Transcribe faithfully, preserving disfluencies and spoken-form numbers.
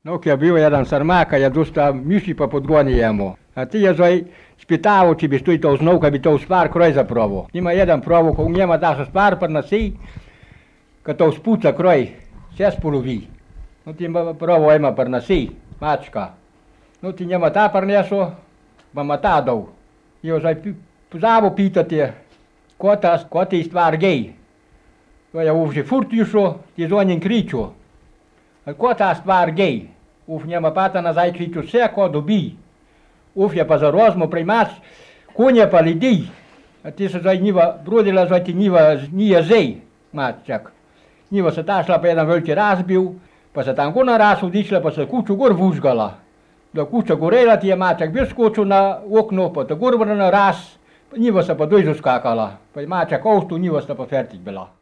No kia bio jedan sarmaka, ja dosta miši pa podgonijemo. A ti je zoj spitavo, či bi stoj to znao, kad bi to spar kroj zaprovo. Ima jedan provo, ko u njema da se spar pa nasi, kad to spuca kroj, se spolovi. No ti provo ima par nasi, mačka. No ti njema ta par neso, pa ma ta dao. Jo zoj zavo pitati, ko ta, ko ti stvar gej. To je uvže furt išo, ti zonjen kričo. Ko ta stvar gej? Uf njema pata nazaj kriču, vse ko dobi. Uf je pa zarozmo primač, konje pa ljudi. A ti se zdaj njiva brodila, zdaj ti njiva nije zej, mačak. Njiva se ta šla pa jedan veliki razbil, pa se tam gona raz odišla, pa se kuću gor vužgala. Da kuća gorela ti je mačak bil skočil na okno, pa ta gor na raz, njiva se pa dojzo skakala. Pa je mačak ovstu, njiva sta pa fertik bila.